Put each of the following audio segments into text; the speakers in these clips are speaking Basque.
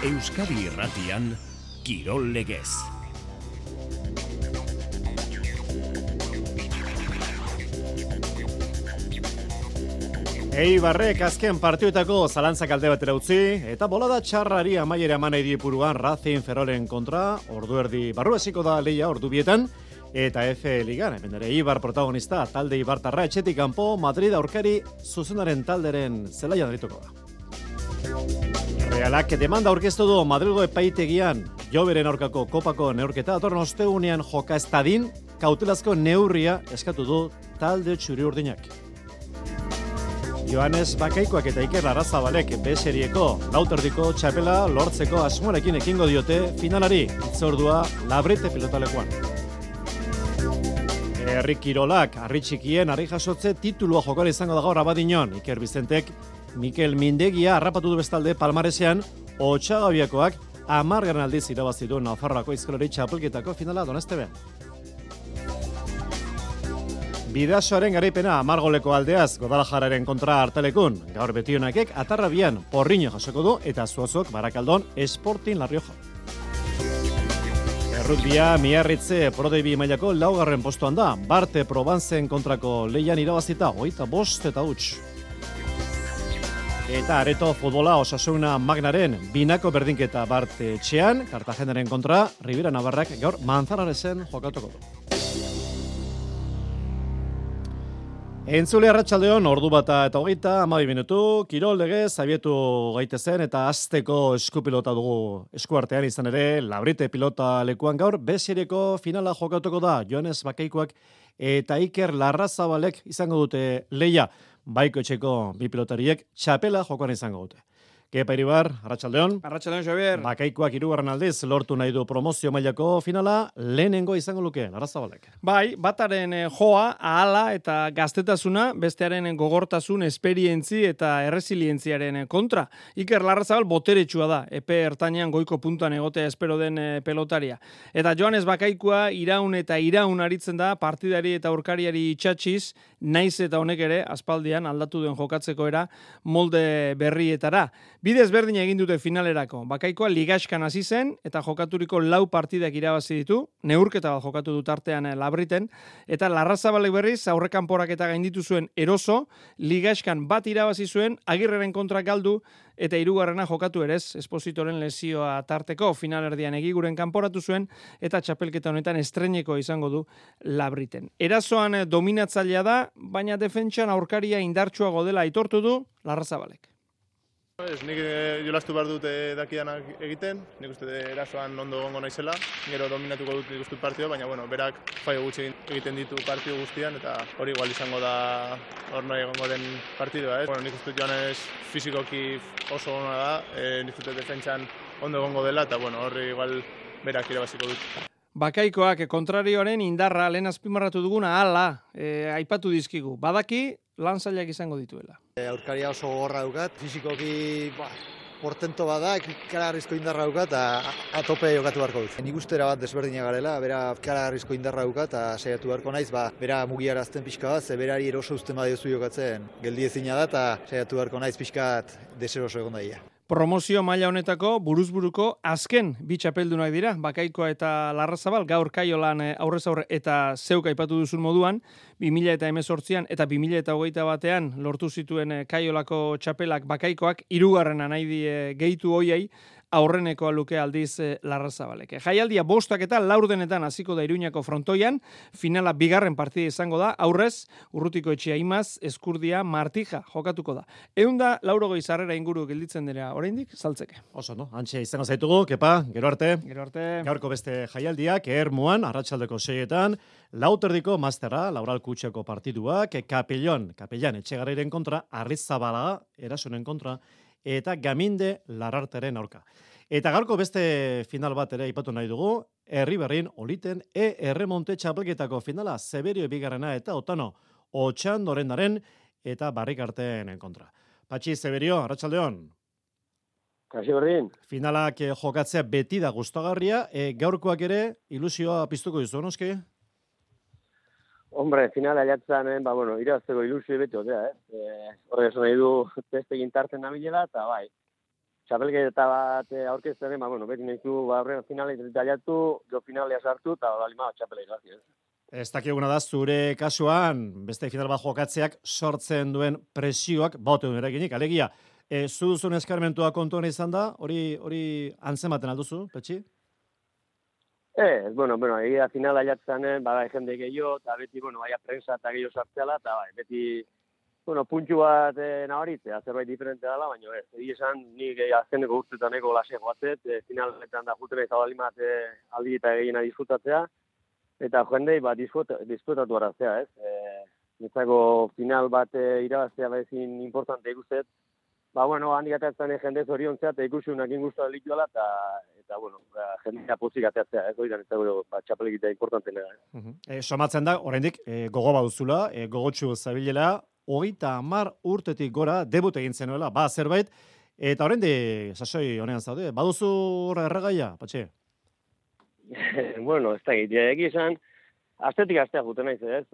Euskadi Irratian, Kirol Legez. Eibarrek azken partioetako zalantzak alde batera utzi, eta bolada txarrari amaiera eman nahi diepuruan Racing Ferrolen kontra, ordu erdi barru hasiko da lehia ordu bietan, eta F Ligan, hemen ere Eibar protagonista, talde Eibartarra etxetik kanpo, Madrid aurkari zuzendaren talderen zelaian arituko da. Realak demanda aurkeztu du Madrilgo epaitegian, Joberen aurkako kopako neurketa datorren ostegunean joka ez dadin, kautelazko neurria eskatu du talde txuri-urdinak. Joanes Bakaikoak eta Iker Larrazabalek B-serieko lauterdiko txapela lortzeko asmoarekin ekingo diote finalari, itzordua Labrite pilotalekuan. Herri kirolak, harri txikien, harri jasotze titulua jokal izango da gaur Abadiñon. Iker Bizentek, Mikel Mindegia harrapatu du bestalde Palmaresean, Otxagabiakoak 10. aldiz irabazi du Nafarroako aizkolari txapelketako finala Donestebean. Bidasoaren garaipena 10 goleko aldeaz Guadalajararen kontra hartalekun. Gaur betionakek Atarrabian Porriño jasoko du eta Zuozok Barakaldon Sporting La Rioja. Errugbia Miarritze Prodebi mailako 4. postuan da. Barte Provenzen kontrako leian irabazita 25 eta huts. Eta areto futbola Osasuna Magnaren binako berdinketa Barte etxean, Kartagenaren kontra Ribera Navarrak gaur Manzanaresen jokatuko du. Entzule arratsaldeon ordu bata eta 30 minutu, Kirol Legez abietu gaitezen eta hasteko eskupilota dugu eskuartean izan ere, Labrite pilota lekuan gaur, B-serieko finala jokatuko da, Joanes Bakaikoak eta Iker Larrazabalek izango dute leia, baiko etxeko bi pilotariek txapela jokoan izango dute. Kepa Iribar, arratsaldeon. Arratsaldeon, Xabier. Bakaikoak 3. aldiz lortu nahi du promozio mailako finala, lehenengo izango luke, Larrazabalek. Bai, bataren joa, ahala eta gaztetasuna, bestearen gogortasun, esperientzi eta erresilientziaren kontra. Iker Larrazabal boteretsua da, epe ertainean goiko puntuan egotea espero den pelotaria. Eta Joanes Bakaikoa iraun eta iraun aritzen da, partidari eta aurkariari itxatxiz, naiz eta honek ere, aspaldian aldatu den jokatzeko era, molde berrietara. Bidez berdin egin dute finalerako. Bakaikoa ligaskan hasi zen eta jokaturiko 4 partidak irabazi ditu, neurketa bat jokatu dut artean Labriten, eta Larrazabalek berriz aurrekanporak eta gainditu zuen eroso, ligaskan bat irabazi zuen, Agirreren kontra galdu, eta 3. jokatu ere ez, Espositoren lesioa tarteko finalerdian egiguren kanporatu zuen, eta txapelketa honetan estreineko izango du Labriten. Erasoan dominatzailea da, baina defentsan aurkaria indartsuago dela aitortu du Larrazabalek. Nik jolastu behar dut dakidanak egiten, nik uste erasoan ondo gongo naizela, gero dominatuko dut nik uste partidua, baina berak faio gutxi egiten ditu partidu guztian, eta hori igual izango da hor nahi egongo den partidua. Nik uste Joanes fizikoki oso ona da, nik uste defentsan ondo egongo dela, eta horri igual berak irabaziko dut. Bakaikoak kontrarioaren indarra lehen azpimarratu duguna hala aipatu dizkigu. Badaki lan zailak izango dituela. Aurkaria oso gogorra daukat, fizikoki portento bada, ikaragarrizko indarra daukat, eta tope jokatu beharko dut. Nik ustera bat desberdina garela, bera ikaragarrizko indarra daukat, eta saiatu beharko naiz, bera mugiarazten pixka bat, ze berari eroso uzten badiozu jokatzen geldi ezina da, eta saiatu beharko naiz pixkat deseroso egon daia. Promozio maila honetako buruzburuko azken bi txapeldunak dira, Bakaikoa eta Larrazabal, gaur Kaiolan aurrez aurre eta zeuk aipatu duzun moduan, 2018an eta 2021an lortu zituen Kaiolako txapelak Bakaikoak, 3. nahi die gehitu hoiei, aurrenekoa luke aldiz Larrazabalek. Jaialdia 5 eta 4 hasiko da Iruñako frontoian, finala 2. partida izango da, aurrez, Urrutiko Etxea Imaz, Eskurdia, Martija jokatuko da. 180 sarrera inguru gelditzen dira oraindik saltzeke. Oso, no? Antxe izango zaitugu, Kepa, gero arte. Gero arte. Gaurko beste jaialdiak, Ermuan, arratsaldeko 6etan, lauterdiko masterra, Laural Kutxeko partiduak, Kapellan Etxegarriren kontra, Arrizabalaga, Erasonen kontra, eta Gaminde Lararteren aurka. Eta gaurko beste final bat ere aipatu nahi dugu, Herriberrin Oliten Erremonte txapelketako finala, Zeberio 2. eta Otano Otxandorendaren eta Barrikarten kontra. Patxi, Zeberio, arratsaldeon. Kaixo berdin. Finalak jokatzea beti da gustagarria, gaurkoak ere ilusioa piztuko dizu, noski? Hombre, finala jatzen, irazteko ilusio beti, horrek esan nahi du testegin tarten nabilela, eta bai. txapelketa bat aurkezten, beti nahizu, horren finalea detallatu, jo finalea sartu, eta balima txapelea irazi, ez? Ez dakiguna da, zure kasuan, beste final bat jokatzeak sortzen duen presioak, baute duen eraginik, alegia, zu duzun eskarmentua kontuan izan da, hori antzematen alduzu, Petxi? Egia finala jatzen, bada jende gehiago, eta beti, baina prensa eta gehiago sartzeala, eta beti, puntxu bat nabaritzea, zerbait diferente dela, baina ez, egia esan, nik azkeneko urtetan ego lase joatzet, finaletan da jutena izabalimat aldi eta gehiena disfrutatzea, eta jendei disfrutatu araztea, ez? Nitzako final bat irabaztea bezin importante ikustet, handik atatzen jende zoriontzea, eta ikusunak ingustu lituela, eta jendea pozik ateatzea, ez? Oidan, txapelegitea importantena. Somatzen da, oraindik gogo baduzula, gogotsu zabilela, 30 urtetik gora debut egin zenuela, zerbait, eta oraindik sasoi honean zaude, baduzu erregaia, Patxe? Ez da egia esan, astetik astea juten naiz, ez?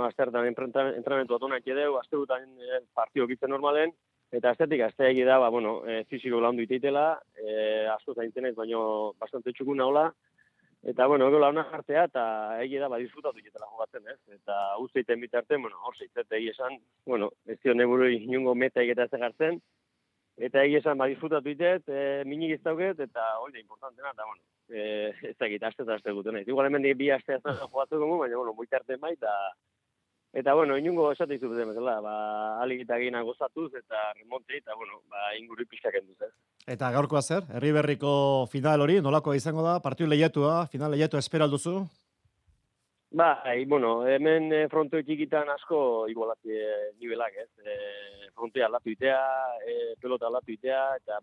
Asteetan entrenamentu atu nahi edeu, asteetan partio gitzen normalen, eta astetik astea egi da, fiziko laundu iteitela, asko zaintzen naiz, baina bastante txukun naula, eta, ego launa jartzea, eta egi da, disfrutatu iketela jogatzen, ez? Eta usteiten bitarten, hor zeitzet egi esan, ez dio neburu inungo meta egeta ez egartzen, eta egi esan, disfrutatu itet, minik iztauket, eta hori da importantena, eta, ez da egita, aste guten nahi. Igual hemen bi aste jogatzen dugu, baina, bitarten bai, eta, inungo esate izubeten, alik eta gehina gozatuz, eta remonte, eta, inguru pixkak enduz, ez? Eta gaurkoa zer? Herriberriko final hori, nolakoa izango da? Partiu lehiatua, final lehiatua esperalduzu? Hemen frontoi txikitan asko igualati nivelak, ez? Frontoi aldatu itea, pelota aldatu itea, eta,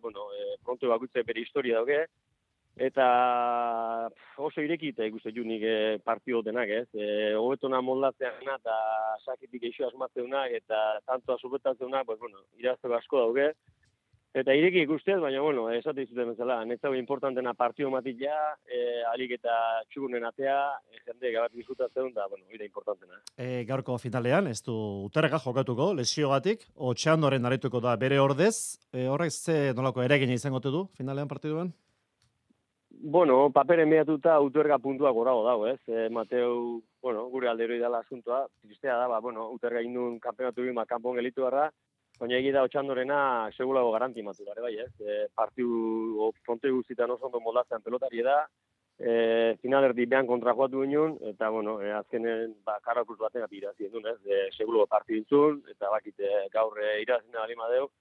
frontoi bakutze bere historia dauke, eta oso irekita ikusten junik partio denak, ez? Hobetona moldatzeana eta sakitik eixo asmatzeuna eta tantoa subetatzeuna, irazteko asko dauke. Eta ireki ikustez, baina, esate izuten bezala, netzago importantena partio matik alik eta txugunen atea, jende gabat disfrutatzen, da, hori importantena. Gaurko finalean, ez du uterreka jokatuko, lesiogatik, Otxandoren arituko da bere ordez, horrek ze nolako eragina izango du finalean partiduan? Paperen behatuta uterga puntua gorago dago, ez? Mateu, gure alderoi dela asuntoa, tristea da, uterga indun kampeonatu bima kanpon gelitu garra, baina egida Otxandorena segulago garantimatu gare, bai, ez? Partiu fronte guztietan oso ondo moldatzen pelotari da, finalerdi behan kontra joatu ginen, eta, azkenen, karakus baten apirazien duen, ez? Segulago partiu intzun, eta bakite gaur irazina alima deu,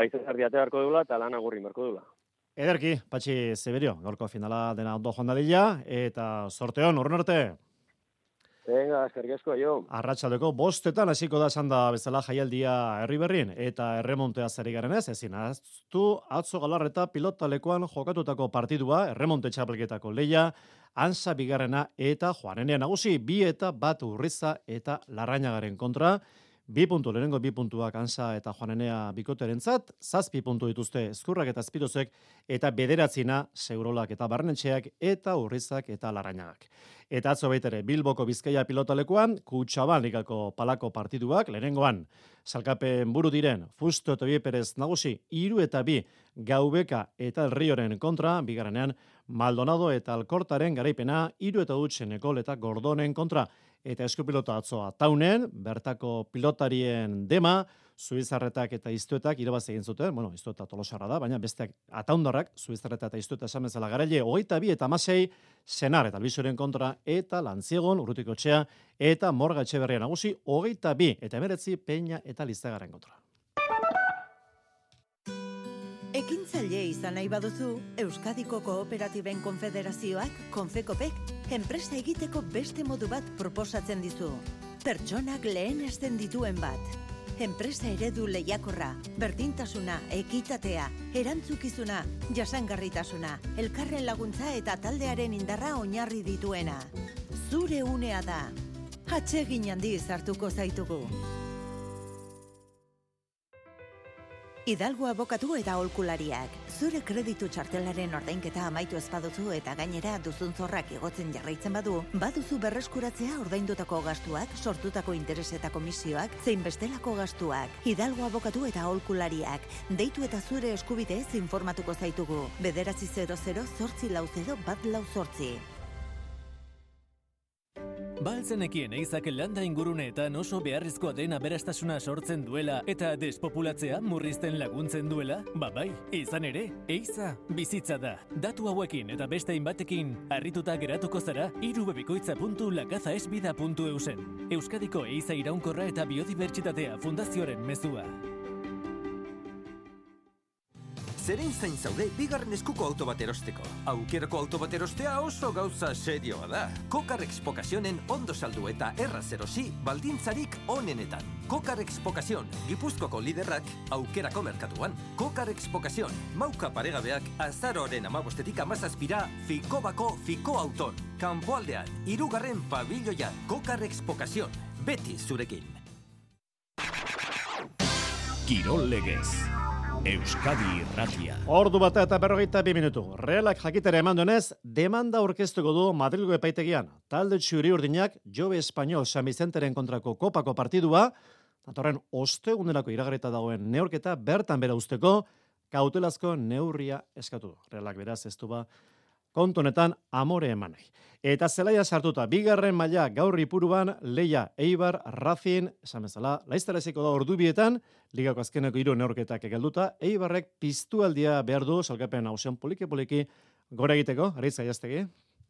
izan zardiate beharko deula, eta lan agurri beharko deula. Ederki, Patxi Zeberio, gaurko finala dena ondo joan dadila, eta sorteon, urren arte. Venga, eskerrik asko, jo. Arratsaldeko 5:00 hasiko da esan da bezala jaialdia Herriberrin eta erremontea zeri garen ezin ahaztu atzo Galarreta pilotalekuan jokatutako partidua, erremonte txapelketako leia, Ansa bigarrena eta Juanenea nagusi, 2 eta 1 Urriza eta Larrañagaren kontra. 2 puntu, lehenengo 2 puntuak Ansa eta Juanenea bikoterentzat, 7 puntu dituzte Ezkurrak eta Azpirozek, eta 9 Segurolak eta Barnetxeak eta Urrizak eta Larrañagak. Eta atzo baitere Bilboko Bizkaia pilotalekuan, Kutxaban ligako palako partiduak, lehenengoan salkapen buru diren Fusto eta Bieperez nagusi, 3 eta 2 Gaubeka eta El Rioren kontra, bigarrenean Maldonado eta Alkortaren garaipena, 3 eta 2 Nekol eta Gordonen kontra. Eta eskupilota atzoa taunen, bertako pilotarien dema, Zuizarretak eta Iztuetak irabazi egin zuten, Iztueta Tolosarra da, baina besteak ataundarrak, Zuizarreta eta Iztueta esan bezala garaile, 22 eta 16, Senar eta Albizuren kontra, eta Lantziegon, Urrutikotxea, eta Morga Etxeberria nagusi, 22 eta 19, Peña eta Lizagaren kontra. Ekintzaile izan nahi baduzu, Euskadiko Kooperatiben Konfederazioak, Konfekopek, enpresa egiteko beste modu bat proposatzen dizu. Pertsonak lehenesten dituen bat. Enpresa eredu lehiakorra, berdintasuna, ekitatea, erantzukizuna, jasangarritasuna, elkarren laguntza eta taldearen indarra oinarri dituena. Zure unea da. Atsegin handiz hartuko zaitugu. Hidalgo abokatu eta aholkulariak. Zure kreditu txartelaren ordainketa amaitu ez baduzu eta gainera duzun zorrak igotzen jarraitzen baduzu berreskuratzea ordaindutako gastuak, sortutako interes eta komisioak, zein bestelako gastuak. Hidalgo abokatu eta aholkulariak. Deitu eta zure eskubideez informatuko zaitugu. 900-840-148. Baltzenekien eizak landa inguruneetan oso beharrizkoa den aberastasuna sortzen duela eta despopulatzea murrizten laguntzen duela? Bai, izan ere, eiza bizitza da. Datu hauekin eta beste hainbatekin harrituta geratuko zara irubebikoitza.lakazaesbida.eusen. Euskadiko eiza iraunkorra eta biodibertsitatea fundazioaren mezua. Zeren zain zaude bigarren eskuko auto bat erosteko. Aukerako auto bat erostea oso gauza serioa da. Kokarrex Pokazionen ondo saldu eta erraz erosi baldintzarik onenetan. Kokarrex Pokazion, Gipuzkoako liderrak aukerako merkatuan. Kokarrex Pokazion, mauka paregabeak azaroaren 15-tik 17-ra Fikobako Fiko Auton. Kanpoaldean, 3. pabilloian. Kokarrex Pokazion, beti zurekin. Kirol Legez. Euskadi Irratia. Ordu bata eta 42 minutu. Realak jakitera eman duenez, demanda aurkeztuko du Madrilgo epaitegian. Talde txuri-urdinak Jobe Espainol San Vicenteren kontrako kopako partidua, datorren ostegunerako iragarrita dagoen neurketa bertan bera usteko kautelazko neurria eskatu du. Realak beraz ez du kontu honetan amore eman nahi. Eta zelaia sartuta, bigarren maila gaur Ipuruan, Leia, Eibar, Racing, esan bezala, laiztaraziko da ordubietan, ligako azkeneko 3 neurketak egelduta, Eibarrek piztualdia behar du, salkapen hausen poliki-poliki gora egiteko, Aritz Gaiaztegi.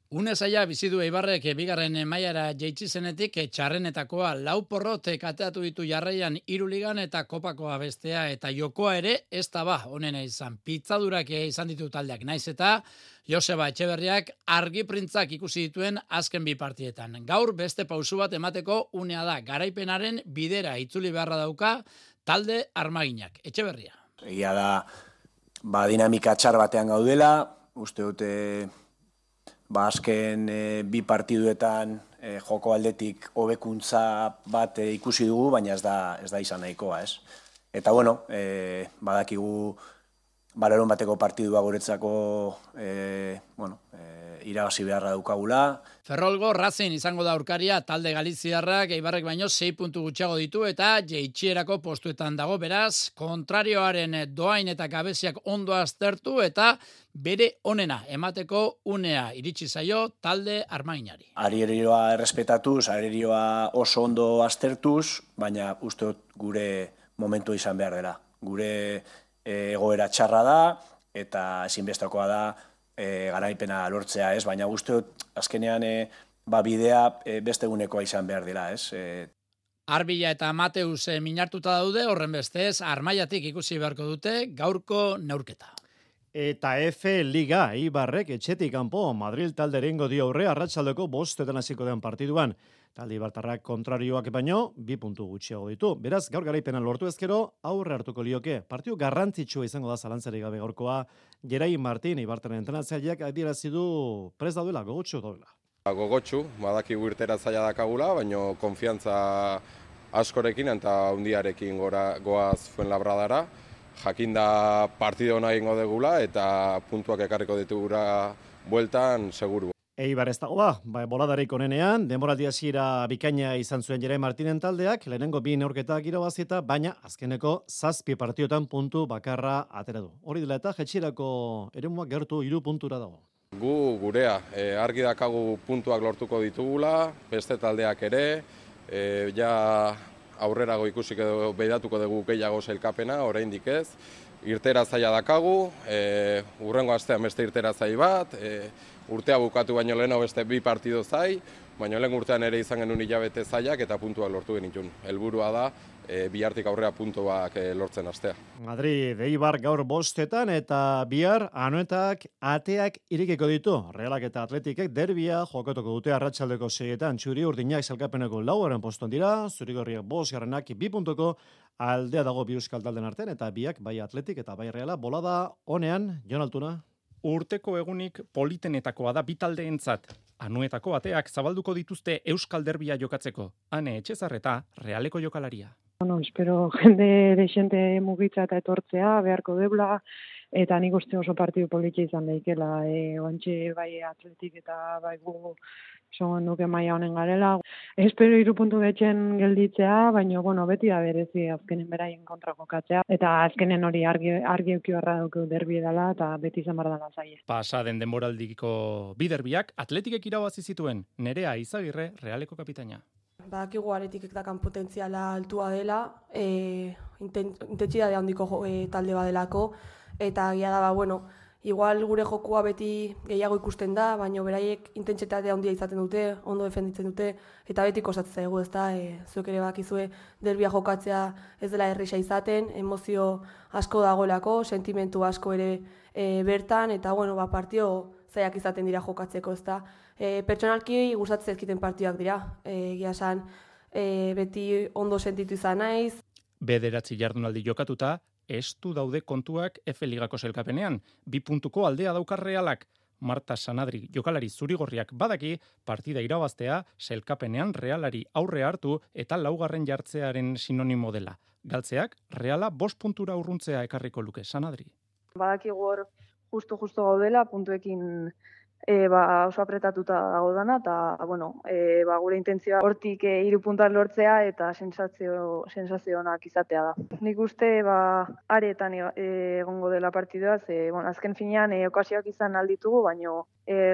Une zaila bizi du Eibarrek bigarren mailara jaitsi zenetik txarrenetakoa 4 porrot kateatu ditu jarraian 3 ligan eta kopakoa bestea eta jokoa ere ez da honena izan. Pitzadurak izan ditu taldeak naiz eta Joseba Etxeberriak argi printzak ikusi dituen azken 2 partietan. Gaur beste pausu bat emateko unea da. Garaipenaren bidera itzuli beharra dauka talde armaginak. Etxeberria. Egia da dinamika txar batean gaudela, uste dute azken 2 partiduetan joko aldetik hobekuntza bat ikusi dugu, baina ez da izan nahikoa, ez? Eta bueno, badakigu larun bateko partidua guretzako irabazi beharra daukagula. Ferrolgo Racing izango da aurkaria, talde galiziarrak Eibarrek baino 6 puntu gutxiago ditu eta jeitxierako postuetan dago, beraz, kontrarioaren doain eta gabeziak ondo aztertu eta bere onena emateko unea iritsi zaio talde armaginari. Arierioa errespetatuz, arierioa oso ondo aztertuz, baina uste dut gure momentu izan behar dela. Gure egoera txarra da eta ezinbestekoa da garaipena lortzea, ez? Baina uste dut azkenean bidea beste egunekoa izan behar dela, ez? Arbila eta Mateus minartuta daude, horren bestez, Armaiatik ikusi beharko dute gaurko neurketa. Eta F Liga Eibarrek etxetik kanpo Madrid talde egingo dio aurre arratsaldeko 5 hasiko den partiduan. Talde ibartarrak kontrarioak baino 2 puntu gutxiago ditu. Beraz, gaur garaipena lortu ezkero aurre hartuko lioke. Partidu garrantzitsua izango da zalantzarik gabe gaurkoa. Gerai Martin Eibartaren entrenatzaileak adierazi du prest daudela, gogotsu daudela. Gogotsu, badakigu irtera zaila dakagula, baino konfiantza askorekin eta hundiarekin goaz Fuenlabradara. Jakinda partida ona egingo degula eta puntuak ekarriko ditugura bueltan seguru. Eibar ez dago boladarik onenean, denboraldi hasiera bikaina izan zuen Gerai Martinen taldeak, lehenengo 2 neurketak irabazieta, baina azkeneko 7 partiotan puntu bakarra atera du. Hori dela eta jetxirako eremuak gertu 3 puntura dago. Gurea, argi dakagu puntuak lortuko ditugula, beste taldeak ere, ja aurrerago ikusik edo beidatuko dugu gehiago sailkapena, oraindik ez. Irtera zaila dakagu, urrengo astean beste irtera zai bat, urtea bukatu baino leheno beste 2 partido zai, baina lehen urtean ere izan genuen hilabete zailak eta puntuak lortu genitun. Helburua da, bihartik aurrea puntuak lortzen astea. Madrid, Eibar gaur 5 eta bihar Anoetak ateak irekiko ditu. Realak eta Atletikek derbia jokatuko dute arratsaldeko 6etan. Txuri-urdinak sailkapeneko 4. postuan dira, zuri-gorriak 5. 2 puntuko aldea dago 2 euskal talden artean eta biak bai Atletik eta bai Reala bolada onean, Jon Altuna. Urteko egunik politenetakoa da 2 taldeentzat. Anoetako ateak zabalduko dituzte euskal derbia jokatzeko. Ane Etxezarreta Realeko jokalaria. Bueno, espero jende desente mugitza eta etortzea, beharko debla, eta nik uste oso partidu politia izan daikela, oantxe bai atletik eta bai gu son nuke maila honen garela. Espero 3 puntu betxen gelditzea, baina bueno, beti da berezi azkenen beraien kontra jokatzea, eta azkenen hori argi euki barra dugu derbi dela, eta beti izan barra dela zaie. Pasa den denboraldiko bi derbiak atletikek irabazi zituen. Nerea Izagirre, Realeko kapitaina. Badakigu Atletikek dakan potentziala altua dela, intentsitate handiko talde badelako, eta egia da, bueno, igual gure jokua beti gehiago ikusten da, baina beraiek intentsitate handia izaten dute, ondo defenditzen dute, eta beti kostatzen zaigu, ezta, zuek ere bakizue derbia jokatzea ez dela erresa izaten, emozio asko dagoelako, sentimentu asko ere bertan, eta bueno, partio zaiak izaten dira jokatzeko, ezta. Pertsonalki gustatzen zaizkiten partidak dira, egia esan beti ondo sentitu izan naiz. 9 jardunaldi jokatuta, estu daude kontuak F Ligako sailkapenean. 2 puntuko aldea daukar Realak. Marta Sanadri jokalari zurigorriak badaki partida irabaztea sailkapenean Realari aurre hartu eta 4. jartzearen sinonimo dela. Galtzeak Reala 5 puntura urruntzea ekarriko luke. Sanadri. Badakigu hor justo gaudela, puntuekin oso apretatuta dago dana, eta bueno, gure intentzioa hortik 3 puntuak lortzea eta sensazio onak izatea da. Nik uste aretan egongo dela partidua, azken finean okasioak izan alditugu, baino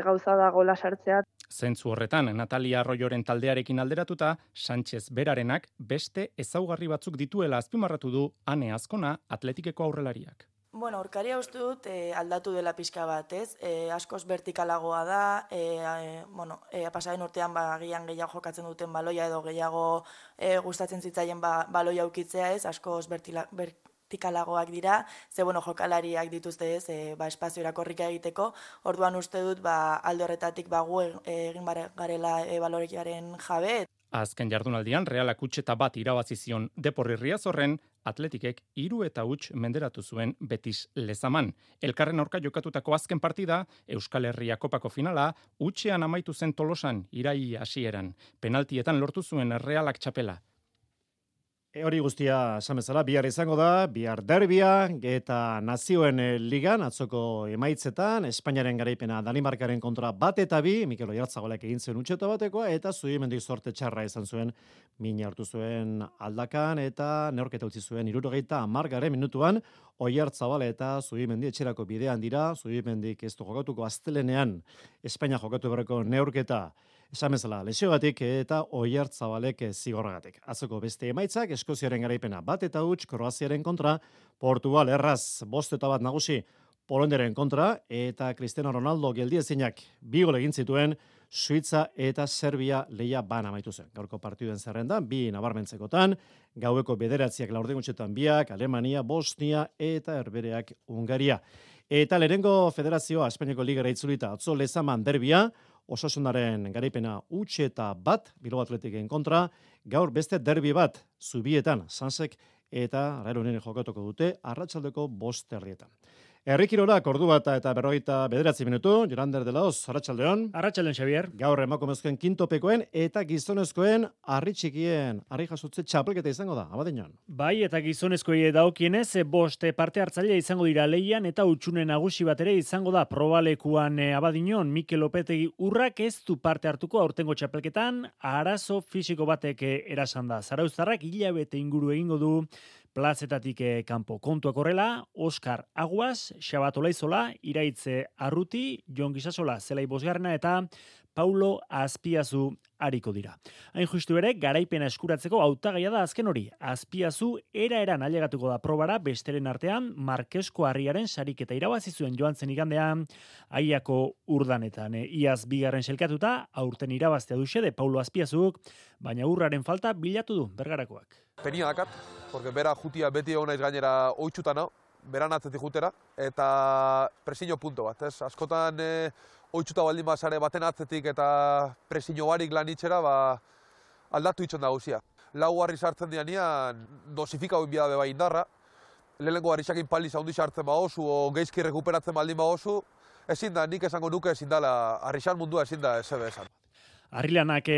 gauza da gola sartzea. Zentzu horretan, Natalia Arroyoren taldearekin alderatuta, Sánchez berarenak beste ezaugarri batzuk dituela azpimarratu du Ane Azkona Atletikeko aurrelariak. Bueno, aurkaria uste dut aldatu dela pixka bat, ez? Askoz vertikalagoa da, pasaren urtean agian gehiago jokatzen duten baloia edo gehiago gustatzen zitzaien baloia ukitzea, ez? Askoz vertikalagoak dira, jokalariak dituzte, ez? Espazio erakorrika egiteko, orduan uste dut alde horretatik gu egin garela balorekiaren jabe. Azken jardunaldian Realak utxeta bat irabazi zion Deporri Riazorren, Atletikek 3-0 menderatu zuen Betis Lezaman. Elkarren aurka jokatutako azken partida, Euskal Herria Kopako finala, utxean amaitu zen Tolosan, iraila hasieran. Penaltietan lortu zuen Realak txapela. Hori guztia esan bezala, bihar izango da, bihar derbia eta Nazioen Ligan, atzoko emaitzetan, Espainiaren garaipena Danimarkaren kontra 1-2, Mikel Oyarzabalaek egin zuen utxeta batekoa, eta Zubimendi zorte txarra izan zuen, mina hartu zuen aldakan, eta neorketa utzi zuen 70 minutuan, Oyarzabal eta Zubimendi etxerako bidean dira, Zubimendik ez du jokatuko astelenean, Espainia jokatu berreko neorketa, esan bezala, lesiogatik eta Oyartzabalek zigorragatik. Atzoko beste emaitzak, Eskoziaren garaipena 1-0, Kroaziaren kontra, Portugal erraz 5-1 nagusi, Poloniaren kontra, eta Cristiano Ronaldo geldiezinak 2 gol egin zituen, Suitza eta Serbia lehia ban amaitu zen. Gaurko partiduen zerrendan, 2 nabarmentzekotan, gaueko 9 laurdenutxetan 2, Alemania, Bosnia eta Herbereak Hungaria. Eta lehenengo federazioa, Espainiako ligara itzulita, atzo Lezaman derbia, Osasunaren garaipena utxeta bat, Bilbao Atletiken kontra, gaur beste derbi bat, Zubietan, Sansek eta Raeronen jokatuko dute, arratsaldeko 5:00. Herrikirolak ordu bat eta 49 minutu, Jorander de la Hoz, arratsaldeon. Arratsaldeon, Xavier. Gaur emakumezkoen kintopekoen eta gizonezkoen harri txikien harri jasotze txapelketa izango da, Abadiñon. Bai, eta gizonezkoei dagokienez 5 parte hartzailea izango dira leian eta hutsune nagusi bat ere izango da probalekuan Abadiñon. Mikel Lopetegi Urrak ez du parte hartuko aurtengo txapelketan, arazo fisiko batek erasan da. Zarauztarrak hilabete inguru egingo du plazetatik kanpo. Kontuak horrela, Oskar Aguas, Xabat Olaizola, Iraitze Arruti, Jon Gisasola, Zelai Bosgarrena eta Paulo Azpiazu ariko dira. Hain justu ere, garaipena eskuratzeko hautagaia da azken hori. Azpiazu era-eran ailegatuko da probara, besteren artean, Markesko Harriaren sariketa irabazi zuen joan zen igandean, Aiako urdanetan. Iaz 2. selkatuta, aurten irabaztea du xede Paulo Azpiazuk, baina urraren falta bilatu du bergarakoak. Penia dakat, porque bera jutia beti egon naiz gainera oitxutan hau, beran atzetik jutera, eta presiño punto bat, ez? Askotan oitxuta baldin bazare baten atzetik eta presiño barik lan itxera, aldatu itxon da gauzia. 4 harri sartzen dianean, dosifika hori bidabe bai indarra, lehenengo harrisakin pali zaundi sartzen baozu, o geizki rekuperatzen baldin baozu, ezin da, nik esango nuke ezin dala, harrisan mundua ezin da, ez ebe esan. Harrilanak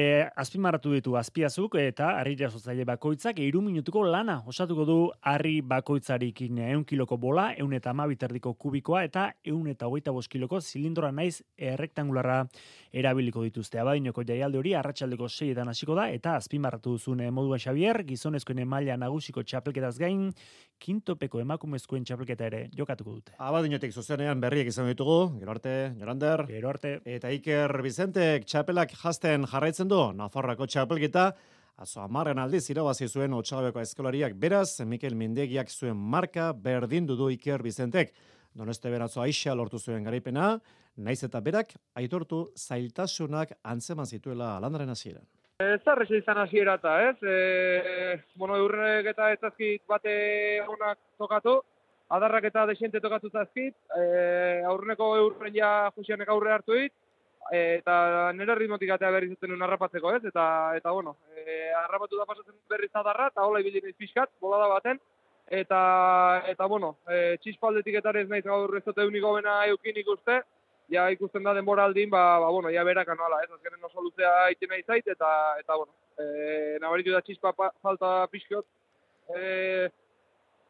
azpimarratu ditu Azpiazuk eta harri jasotzaile bakoitzak 3 minutuko lana osatuko du harri bakoitzarekin 100 kiloko bola, 112 erdiko kubikoa eta 125 kiloko zilindroa naiz errektangularra erabiliko dituzte. Abadinoko jaialdi hori arratsaldeko 6etan hasiko da eta azpimarratu duzun moduan Xabier, gizonezkoen maila nagusiko txapelketaz gain, kintopeko emakumezkoen txapelketa ere jokatuko dute. Abadinotik zuzenean berriak izan ditugu, gero arte, Jorander. Gero arte. Eta Iker Bizentek txapelak jazten jarraitzen du, Nafarroako txapelketa, azo 10. aldiz irabazi zuen Otsagabeko eskolariak, beraz, Mikel Mindegiak zuen marka berdindu du Iker Bizentek. Doneste beratzo Aixa lortu zuen garaipena, naiz eta berak aitortu zailtasunak antzeman zituela landaren hasieran. Ez da reza izan hasiera eta, ez? Eurrek eta ezazkit bate honak tokatu, adarrak eta desente tokatu zazkit, aurreneko eurren ja Josianek aurre hartu dit, eta nire ritmotik atea berri zuten un harrapatzeko, ez? Eta harrapatu da pasatzen berriz adarra, eta hola ibili naiz pixkat, bolada baten, eta txispaldetik eta ez naiz gaur ez dute uniko bena eukin ikuste, ja ikusten da denbora aldin, ja berak anuala, ez? Azkenen oso luzea iten nahi zait, eta nabaritu da txispa falta pixkiot,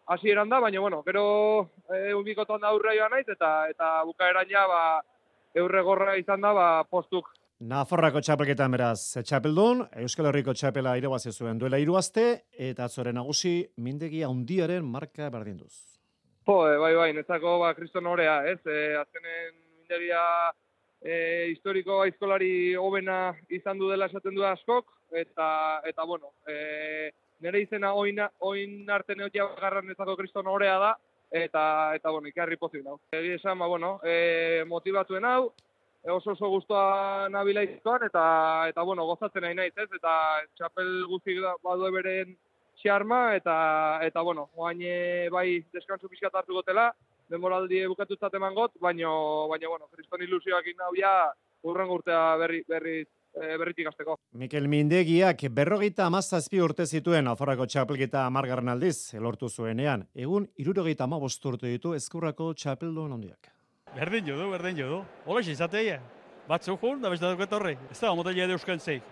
hasieran da, baina, gero unbikotan da aurrea joan naiz, eta bukaeran ja, eurre gorra izan da, postuk. Nafarroako txapelketan beraz txapeldun, Euskal Herriko txapela irabazi zuen duela 3 aste, eta atzore nagusi Mindegi handiaren marka berdinduz. Bai, netzako kriston horea, ez? Azkenen Mindegia historiko aizkolari hobena izan du dela esaten du askok, eta nire izena oin arte neotia garran netzako kriston horea da, eta ikarri pozik nau. Egi esan, motibatuen hau, oso guztua nabila izkoan, eta gozatzen nahi naiz, ez? Eta txapel guztik badu beren xarma, eta oain bai deskantzu pixkat hartu gotela, denboraldi bukatutzat eman got, baina kriston ilusioak inau ja urrengo urtea berritik azteko. Mikel Mindegiak 57 urte zituen Nafarroako txapelketa 10. aldiz elortu zuenean. Egun 75 urte ditu Ezkurrako txapeldun handiak. Berdin jodu. Hola izateia. Batzuk jun, da beste dauket horri. Ez da, motelea edo euskan zeik.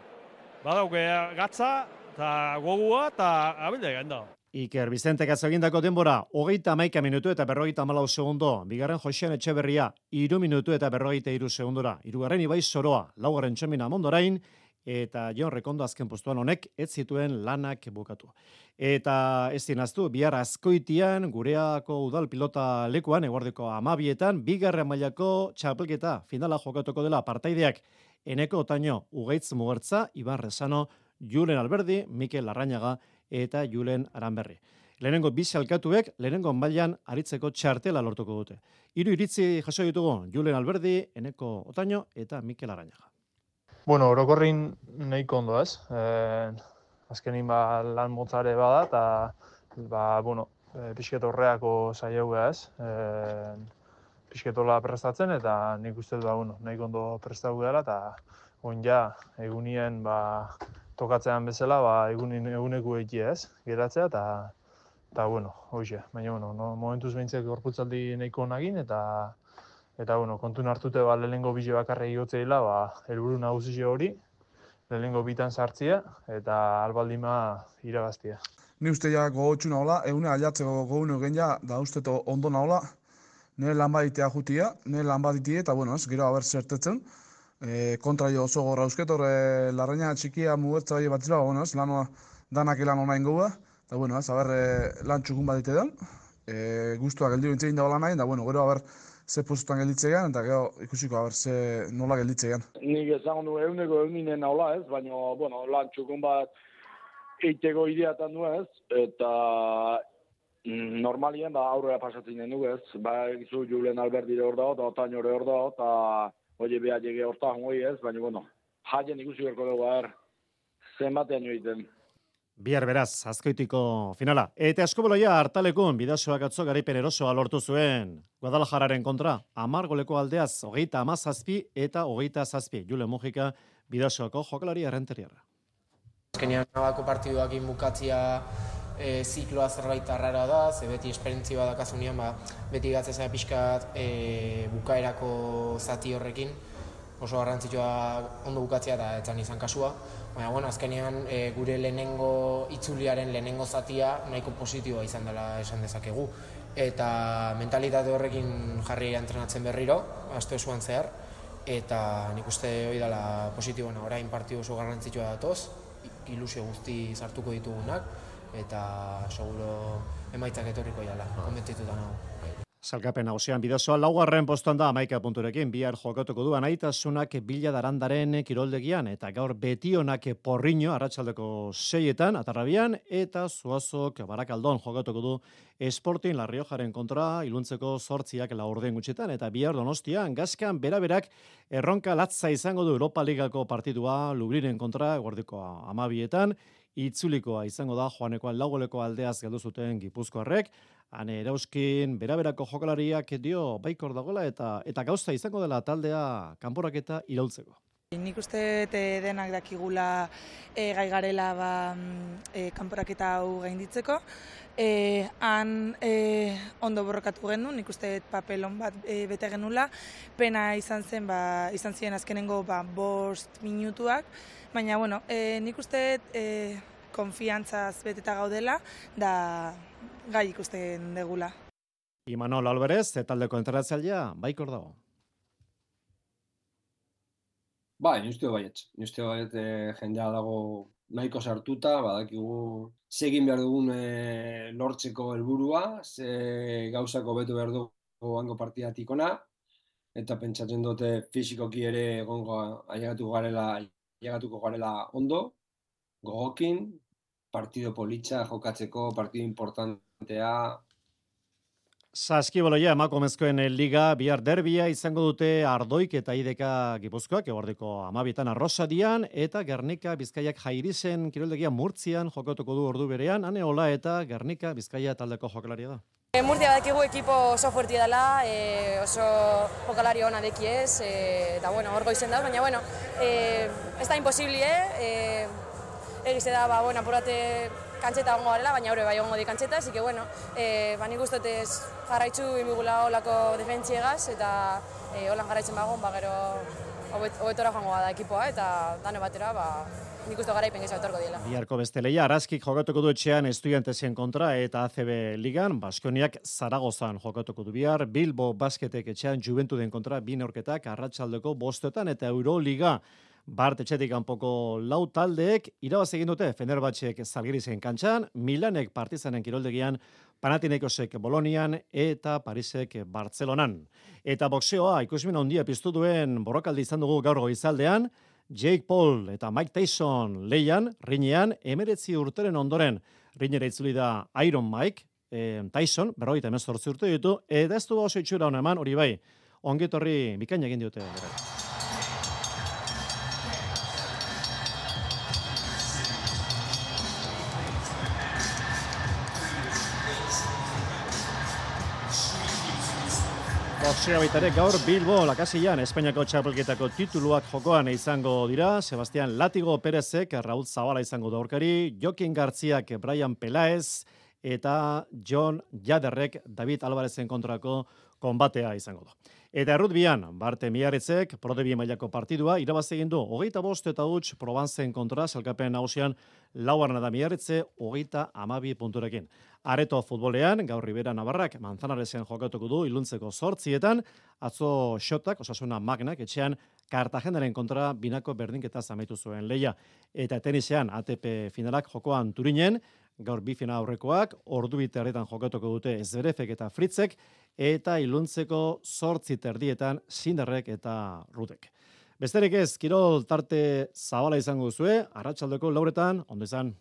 Badauke gatza, eta gogua, eta abildea ganda. Iker Bizentek azagindako denbora, 31 minutu eta 54 segundo. Bigarren Josean Etxeberria, 3 minutu eta 43 segundora. Hirugarren Ibai Soroa, laugarren Txemina Mondorain, eta Jon Rekondo azken postuan honek ez zituen lanak bukatu. Eta ez dinaztu, bihar Azkoitian, gureako udal pilota lekuan, eguardeko 12etan, bigarren mailako txapelketa finala jokatuko dela partaideak Eneko Otaño, Ugaitz Mugertza, Iban Rezano, Julen Alberdi, Mikel Larrañaga eta Julen Aranberri. Lehenengo bi salkatuek, lehenengo mailan aritzeko txartela lortuko dute. 3 iritzi jaso ditugu, Julen Alberdi, Eneko Otaño eta Mikel Larrañaga. Orokorrin nahiko ondo, ez? Azkenin lan motzare bada, eta pixket horreako saiauga, ez? Pixketola prestatzen, eta nik uste nahiko ondo prestatu dela, eta egunien tokatzean bezala, eguneko egitea, ez? Geratzea, eta hoxe. Baina, momentuz behintzak gorputzaldi nahiko nagin, eta kontun hartute lehenengo bile bakarra igotze dela, helburu nagusi hori, lehenengo bitan sartzia, eta albaldima irabaztia. Ni uste ja gogotxu nahola, egune aliatzeko gogun egin ja, da uste ondo nahola, nire lan baditea jutia, nire lan baditea, eta gero haber zertetzen. Kontra jo oso gorra eusket, horre Larraña txikia mugertza bai batzila, lanoa danak elan onain goga, eta haber lan txukun badite den, guztuak geldi bintzein dagoela nahi, eta gero haber ze postutan gelditzean, eta gero ikusiko haber ze nola gelditzean. Nik esan du eguneko eginen nahola ez, baina lan txukun bat eiteko ideatan du ez, eta normalien aurrera pasatzen den du ez, gizu Julen Alberdi hor dago, eta Otaño hor dago, eta hori behar jege hortan hori ez, baina jaien ikusi berko dugu zenbatean joiten. Bihar beraz, Azkoitiko finala. Eta Askoboloia hartalekun Bidasoak atzo garaipen erosoa lortu zuen. Guadalajararen kontra, 10 goleko aldeaz, 37 eta 27. Jule Mujika, Bidasoako jokalari errenteriarra. Azkenean nabako partiduak bukatzia zikloa zerbait arrara da, ze beti esperientzia badakazunean, beti gatzeza pixkat bukaerako zati horrekin, oso garrantzitsua ondo bukatzea eta etzan izan kasua. Baina, bueno, azkenean gure lehenengo itzuliaren lehenengo zatia nahiko positiboa izan dela esan dezakegu. Eta mentalitate horrekin jarri entrenatzen berriro, aste osoan zehar, eta nik uste hori dela positiboena. Orain partidu oso garrantzitsua datoz, ilusio guzti sartuko ditugunak, eta seguro emaitzak etorriko jala, konbentzituta nago. Zalkapen nagusian bidazoa, laugarren postuan da 11 punturekin, bihar jokatuko du Anaitasunak Bila Darandaren kiroldegian, eta gaur Betionak Porriño, arratsaldeko 6etan, Atarrabian, eta Zuazok Barakaldon jokatuko du Sporting La Riojaren kontra, iluntzeko 8 laurden gutxitan, eta bihar Donostian, Gaskan beraberak erronka latza izango du Europa Ligako partidua Lubrinen kontra, guardiko 12etan, itzulikoa izango da Joanekoan laugoleko aldeaz galdu zuten Gipuzkoarrek, Ane Erauskin beraberako jokalariak dio baikor dagoela eta gauza izango dela taldea kanporaketa iraultzeko. Nik uste denak dakigula gai garela kanporaketa hau gainditzeko. Han ondo borrokatu genuen, nik uste papelon bat bete genula. Pena izan ziren azkenengo 5 minutuak, baina bueno, nik uste konfiantzaz beteta gaudela da gai ikusten degula. Imanol Alvarez, taldeko entrenatzailea, baikor dago. Bai, nire baiet jendea dago nahiko sartuta, badakigu segin behar dugun lortzeko helburua, ze gauzako betu behar dugu hango partidatik ona, eta pentsatzen dute fizikoki ere ailegatuko garela ondo, gogokin, partido politxa jokatzeko, partido importantea. Saskiboloia emakumezkoen liga bihar derbia izango dute Ardoik eta Ideka Gipuzkoak, eguerdiko 12etan Arrosadian, eta Gernika Bizkaiak Jairizen kiroldegia Murtzian jokatuko du ordu berean, Ane Ola eta Gernika Bizkaia taldeko jokalaria da. Murtzia badakigu ekipo oso fuertia dela, oso jokalari ona dekiez, eta bueno, hor goizen da, baina bueno, ez da imposibli, egize da, apurate kantxeta ongo garela, baina hori bai ongo di kantxeta, así que bueno, nik ustotez jarraitzu inbigula olako defentsiegaz, eta holan jarraitzen bagon, gero hobetora joango da ekipoa, eta dane batera, nik uste garaipen gehiago etorko diela. Biharko beste leia, Araskik jokatuko du etxean Estudiantesen kontra eta ACB Ligan, Baskoniak Zaragozan jokatuko du bihar, Bilbo Basketek etxean Juventuden kontra 2 neurketak arratsaldeko 5etan eta Euroliga Bart etxetik kanpoko 4 taldeek irabaz egin dute Fenerbahçek Zalgirizen kantxan, Milanek Partizanen kiroldegian, Panathinaikosek Bolonian eta Parisek Bartzelonan. Eta boxeoa ikusmin handia piztu duen borrokaldi izan dugu gaur goizaldean, Jake Paul eta Mike Tyson lehian, rinean, 19 urteren ondoren rinera itzuli da Iron Mike, Tyson, 58 urte ditu, eta ez du oso itxura hona eman, hori bai, ongetorri bikaina egin diote. Boxea baitare gaur Bilbo Lakasian Espainiako txapelketako tituluak jokoan izango dira. Sebastián Látigo Pérezek Raúl Zabala izango da aurkari, Jokin Garziak Brian Pelaez eta John Jaderrek David Alvarezen kontrako konbatea izango da. Eta errutbian, Barte Miarritzek Prodebi mailako partidua irabaz egin du 25 eta huts Provenzen kontra salkapen nagusian laugarrena da Miarritze 32 punturekin. Areto futbolean, gaur Ribera Navarrak Manzanaresen jokatuko du iluntzeko 8etan, atzo Xotak, Osasuna Magnak, etxean Kartagenaren kontra binako berdinketa amaitu zuen leia. Eta tenisean ATP finalak jokoan Turinen, gaur bi final aurrekoak, ordu biterretan jokatuko dute Zverevek eta Fritzek, eta iluntzeko 8:30 Sinderrek eta Rudek. Besterik ez, kirol tarte zabala izango duzue, arratsaldeko 4etan, ondo izan.